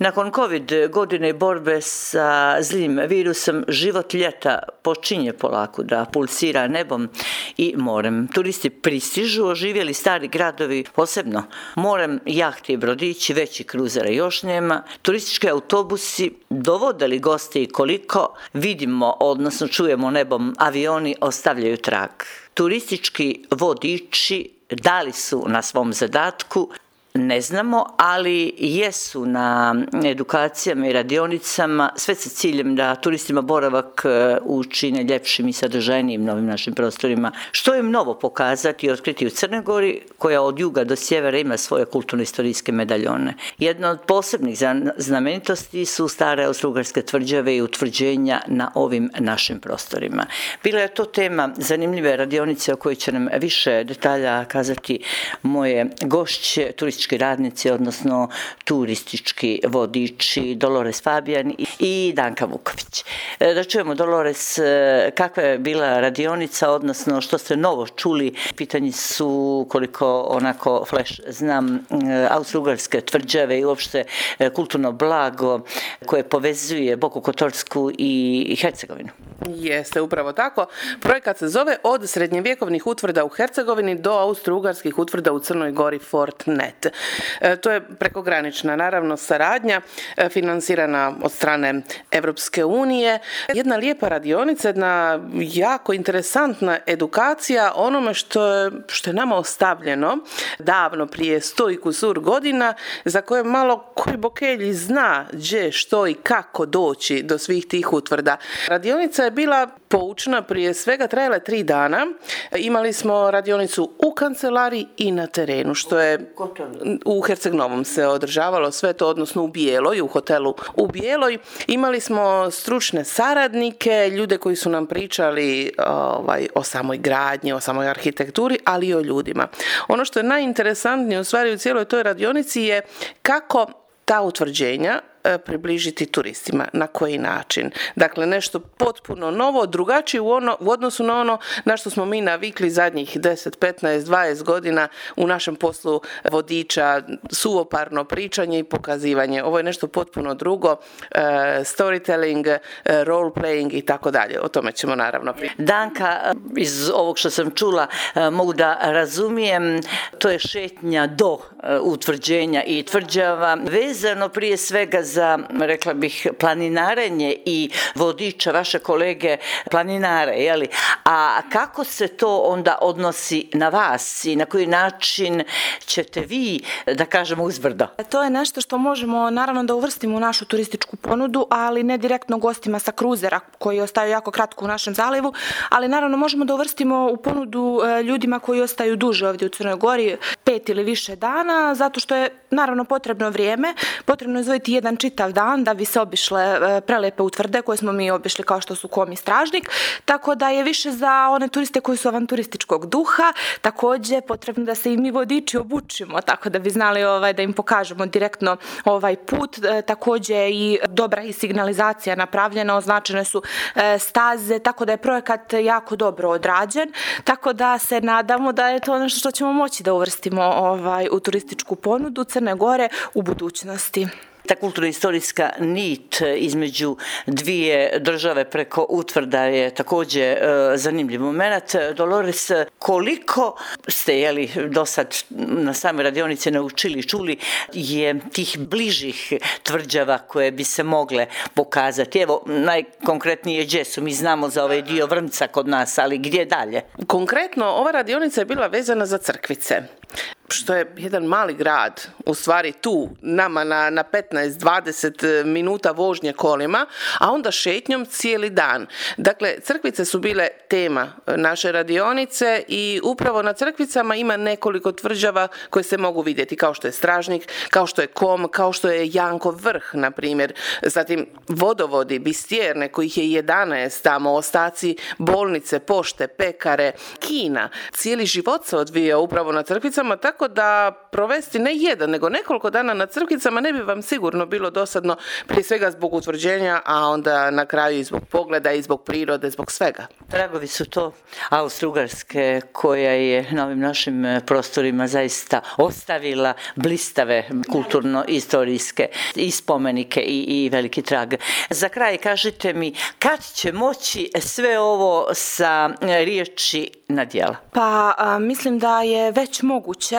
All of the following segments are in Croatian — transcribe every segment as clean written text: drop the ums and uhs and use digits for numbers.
Nakon COVID godine borbe sa zlim virusom, život ljeta počinje polako da pulsira nebom i morem. Turisti pristižu, oživjeli stari gradovi, posebno morem, jahti i brodići, veći kruzera još nema. Turistički autobusi dovodili goste i koliko vidimo, odnosno čujemo nebom, avioni ostavljaju trag. Turistički vodiči da li su na svom zadatku, ne znamo, ali jesu na edukacijama i radionicama, sve sa ciljem da turistima boravak učine ljepšim i sadržajnijim novim našim prostorima. Što je mnogo pokazati i otkriti u Crnoj Gori, koja od juga do sjevera ima svoje kulturno-istorijske medaljone. Jedna od posebnih znamenitosti su stare austrougarske tvrđave i utvrđenja na ovim našim prostorima. Bila je to tema zanimljive radionice o kojoj će nam više detalja kazati moje gošće, turistički radnici, odnosno turistički vodiči Dolores Fabijan i Danka Vuković. Da čujemo, Dolores, kakva je bila radionica, odnosno što ste novo čuli. Pitanje su, koliko onako flash znam, austrougarske tvrđave i uopšte kulturno blago koje povezuje Boku Kotorsku i Hercegovinu. Jeste, upravo tako. Projekat se zove Od srednjevjekovnih utvrda u Hercegovini do austrougarskih utvrda u Crnoj Gori Fortnet. To je prekogranična, naravno, saradnja financirana od strane Europske unije. Jedna lijepa radionica, jedna jako interesantna edukacija onome što je nama ostavljeno davno prije 100 i kusur godina, za koje malo koji bokelji zna gdje, što i kako doći do svih tih utvrda. Radionica je bila poučna, prije svega trajala 3 dana. Imali smo radionicu u kancelariji i na terenu, što je u Herceg-Novom se održavalo sve to, odnosno u Bijeloj, u hotelu u Bijeloj. Imali smo stručne saradnike, ljude koji su nam pričali o samoj gradnji, o samoj arhitekturi, ali i o ljudima. Ono što je najinteresantnije u stvari u cijeloj toj radionici je kako ta utvrđenja približiti turistima, na koji način. Dakle, nešto potpuno novo, drugačije u odnosu na ono na što smo mi navikli zadnjih 10, 15, 20 godina u našem poslu vodiča, suvoparno pričanje i pokazivanje. Ovo je nešto potpuno drugo, storytelling, role playing i tako dalje. O tome ćemo naravno pričati. Danka, iz ovog što sam čula, mogu da razumijem, to je šetnja do utvrđenja i tvrđava, vezano prije svega za, rekla bih, planinarenje i vodiča, vaše kolege planinare, jeli? A kako se to onda odnosi na vas i na koji način ćete vi, da kažemo, uzbrdo? To je nešto što možemo naravno da uvrstimo u našu turističku ponudu, ali ne direktno gostima sa kruzera koji ostaju jako kratko u našem zalivu, ali naravno možemo da uvrstimo u ponudu ljudima koji ostaju duže ovdje u Crnoj Gori, 5 ili više dana, zato što je naravno potrebno vrijeme, potrebno je izdvojiti jedan čitav dan da bi se obišle prelepe utvrde koje smo mi obišli, kao što su Kom i Stražnik, tako da je više za one turiste koji su avanturističkog duha. Također potrebno da se i mi vodiči obučimo, tako da bi znali da im pokažemo direktno ovaj put. Također i dobra i signalizacija napravljena, označene su staze, tako da je projekat jako dobro odrađen, tako da se nadamo da je to nešto što ćemo moći da uvrstimo u turističku ponudu Crne Gore u budućnosti. Ta kulturno-istorijska nit između dvije države preko utvrda je također zanimljiv moment. Dolores, koliko ste do sad na same radionice naučili, čuli je tih bližih tvrđava koje bi se mogle pokazati? Evo, najkonkretnije gdje su? Mi znamo za ovaj dio Vrmca kod nas, ali gdje dalje? Konkretno, ova radionica je bila vezana za Crkvice, što je jedan mali grad, u stvari tu, nama na 15-20 minuta vožnje kolima, a onda šetnjom cijeli dan. Dakle, Crkvice su bile tema naše radionice i upravo na Crkvicama ima nekoliko tvrđava koje se mogu vidjeti, kao što je Stražnik, kao što je Kom, kao što je Jankov vrh, na primjer. Zatim vodovodi, Bistjerne, kojih je 11 tamo, ostaci bolnice, pošte, pekare, kina. Cijeli život se odvija upravo na Crkvicama, Crkvicama, tako da provesti ne jedan, nego nekoliko dana na Crkvicama ne bi vam sigurno bilo dosadno, prije svega zbog utvrđenja, a onda na kraju i zbog pogleda, i zbog prirode, zbog svega. Tragovi su to Austro-Ugarske koja je na ovim našim prostorima zaista ostavila blistave kulturno-istorijske i spomenike i veliki trag. Za kraj kažite mi, kad će moći sve ovo sa riječi na djela? Pa mislim da je već moguće,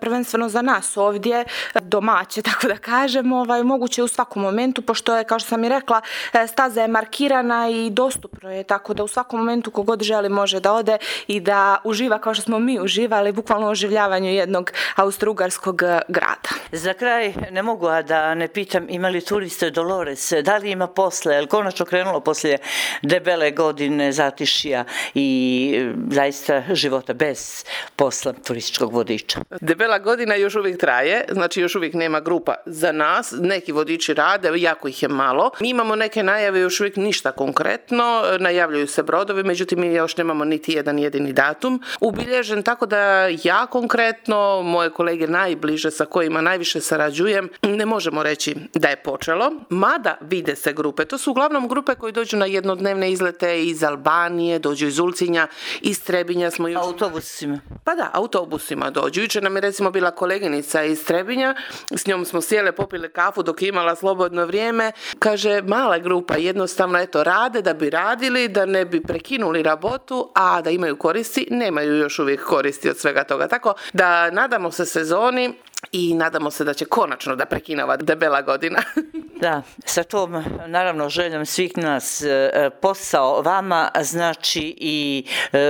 prvenstveno za nas ovdje, domaće, tako da kažem, moguće u svakom momentu, pošto je, kao što sam i rekla, staza je markirana i dostupno je, tako da u svakom momentu kogod želi može da ode i da uživa kao što smo mi uživali, bukvalno u oživljavanju jednog austrougarskog grada. Za kraj ne mogu a da ne pitam, ima li turiste Dolores, da li ima posle, je li konačno krenulo poslije debele godine zatišija i zaista života bez posla turističkog vodiča? Debela godina još uvijek traje, znači još uvijek nema grupa za nas, neki vodiči rade, jako ih je malo. Mi imamo neke najave, još uvijek ništa konkretno, najavljuju se brodovi, međutim mi još nemamo niti jedan jedini datum ubilježen, tako da ja konkretno, moje kolege najbliže sa kojima najviše sarađujem, ne možemo reći da je počelo, mada vide se grupe. To su uglavnom grupe koji dođu na jednodnevne izlete iz Albanije, dođu iz Ulcinja, iz Trebinja smo jučer... Autobusima? Pa da, autobusima dođu. Jučer nam je recimo bila koleginica iz Trebinja, s njom smo sjele, popile kafu dok je imala slobodno vrijeme. Kaže, mala grupa, jednostavno rade da bi radili, da ne bi prekinuli rabotu, a da imaju koristi, nemaju još uvijek koristi od svega toga. Tako da nadamo se sezoni i nadamo se da će konačno da prekine ova debela godina. Da, sa tom naravno željom svih nas, posao vama znači i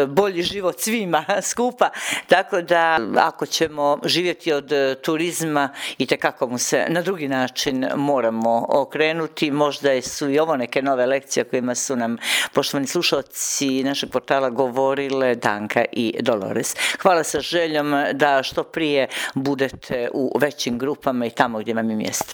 bolji život svima skupa, tako da ako ćemo živjeti od turizma itekako mu se na drugi način moramo okrenuti. Možda su i ovo neke nove lekcije kojima su nam poštovani slušalci našeg portala govorile Danka i Dolores. Hvala sa željom da što prije budete u većim grupama i tamo gdje vam je mjesto.